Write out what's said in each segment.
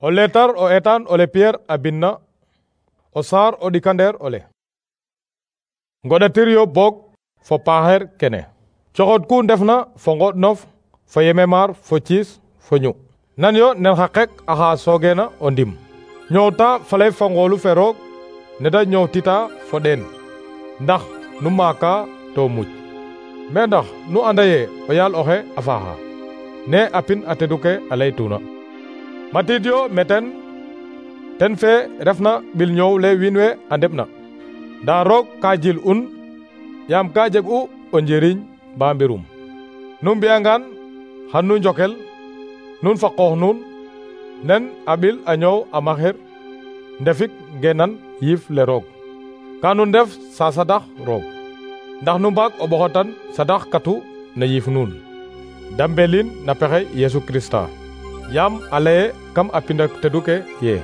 O letar o etan ole Pierre a binna o saar o ɗikandeer ole. Ngoɗatir yo boog fo paaxeer kene. Coxod ku ndefna fo ngoɗnof fo yememar fo ciis fo ñu. Nan yo nen xa qek axa soogeena o ndim. Ñoowta faley fa ngoolu fe roog ne da ñoowtita fo ɗeen. Ndax nu maaka to muj. Mais ndax nu anda ye o yaal oxe a faaxa. Ne a pin a tedu ke a laytuna. Matiid yo meten ten fe refna ɓil ñoow le wiin we a ndeɓna. Ndaa roog ka jil un yaam ka jeg'u o njiriñ ba mbirum. Nu mbi'angaan xan nu njokel nun fa qoox nuun nen a ɓil a ñoow a maxir ndefik ngeenan yiif le roog. Ka nu ndef sa sadax roog. Ndax nu mbaag o ɓoxotan sadax katu na yiif nuun. Dambelin na pexey Yesu Krista. Yaam a leye kam a pindak tedu ke ye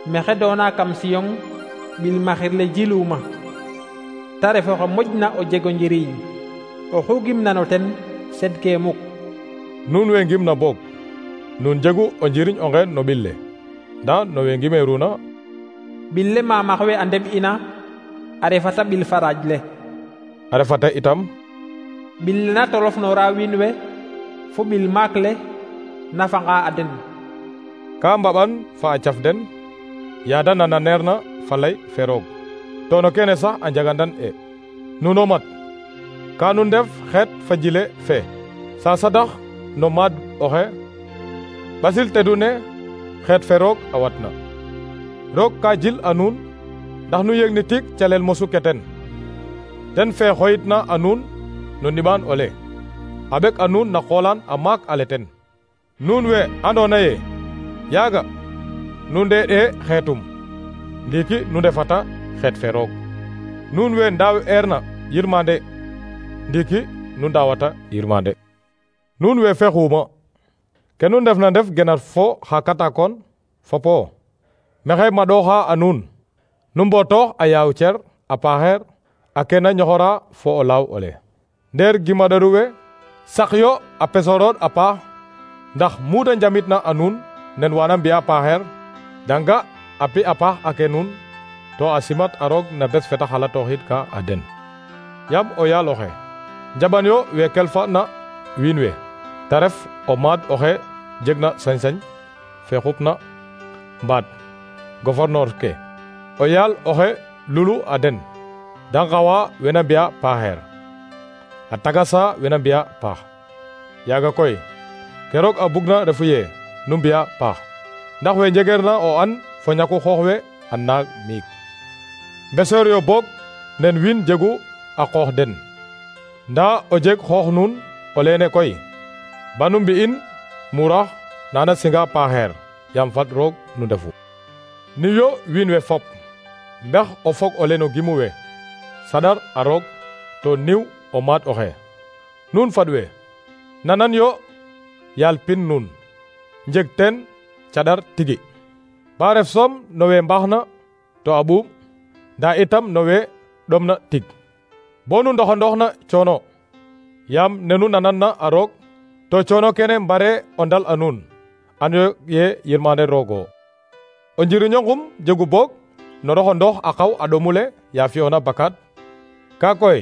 mexe doona kam siyong ɓil maxir le jiluma ta ref oxe moƴna o jego njiriñ oxu gimna no ten sedke muk. Nuun we ngimna boog nun jegu o njiriñ onge no ɓil le nda no we ngimeeruna ɓil le mamax we a ndeɓ ina a refata ɓil faraaj le a refata itam ɓil le na tolofnoora wiin we fo ɓil maak le nafanga a den. Ka mbaɓan fa a caf den yaada nananeerna fa lay fe roog to no kene sax a njagandan e nuno mat ka nu ndef xeet fa jile fe sa sadax no maad oxe ɓasil tedu ne xeet fe roog a watna. Roog ka jil a nuun ndax nu yegni tig calel mosu ke ten fe xoyitna a nuun no niɓaan ole a ɓek a nuun na qoolaan a maak ale ten. Nuun we andoona ye yaaga nu ndeeɗee xeetum ndiiki nu ndefata xeet fe roog. Nuun we ndaaweerna yirmande ndiiki nu ndaawata yirmande. Nuun we fexuuma ke nu ndefna ndef genar fo xa katakoon fopo maxey maɗooxa a nuun nu mbootoox a yaaw cer a paaxeer a kena ñoxora fo o laaw ole. Ndeer gimaɗoru we saq yo a pesorood a paax ndax mu da njamitna a nuun nen wana mbi'a paaxeer danga a pi a paax ake nuun to a simat a roog na bes feta xalatooxid ka a den. Yaam o yaal oxe njaɓan yo we kelfana wiin we ta ref o maad oxe jegna sañ-sañ fe xupna mbaat gouverneur ke o yaal oxe lulu a den da ngawa wena mbi'a paaxeer a tagasa wena mbi'a paax. Yaaga koy ke roog a bugna refu ye nu mbi'a paax ndax we njegeerna o an fo ñaku xoox we a naag miik. Mbeseer yo boog nen wiin jegu a qoox den ndaa o jeg xoox nuun o leene koy ba nu mbi'in murax nana singa paaxeer yaam fat roog nu ndefu. Ni yo wiin we fop mbex o fog ole no gimu we sadar a roog to niw o maad oxe. Nuun fad we nanan yo yaal pin nuun njeg teen caɗar tigi ba ref soom no we mbaxna to a ɓuuɓ ndaa itam no we ɗomna tig bo nu ndoxandooxna coono yaam nenu nananna a roog to coono kene mbare o ndal a nuun anyo ye yirmande roogo. O njiriño ngum jegu boog no roxandoox a qaw a ɗomule ya fi'oona bakaad ka koy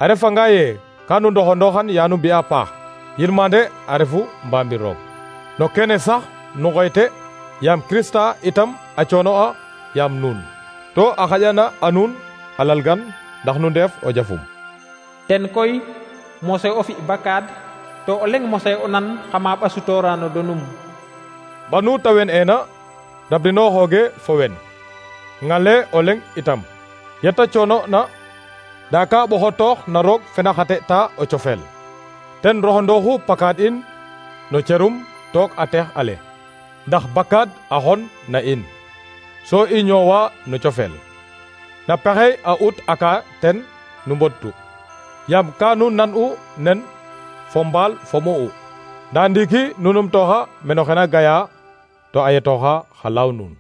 a refanga ye ka nu ndoxandooxan ya nu mbi'a paax yirmande a refu mbamir roog. No kene sax nu ngoyte yaam Krista itam a coono'a yaam nuun to a xaƴana a nuun a lalgan ndax nu ndeef o jafum. Ten koy mose o fi bakaad to o leŋ mose o nan xama ɓasutoora no donum. Banu ta wen eena rabdinooxooge fo wen ŋale o leŋ itam yeta coono'na ndaa ka ɓoxotoox na roog fena xate ta o cofeel ten roxandooxu pakaad in no cerum took a teex ale ndax bakaad a xon na in so i ñoowa no cofeel na pexey a ut aka ten nu mbodtu yaam ka nu nan'u nen fo mbaal fo mu'u ndaa ndiiki nu numtooxa meno xena gaya to a yetooxa xa laaw nuun.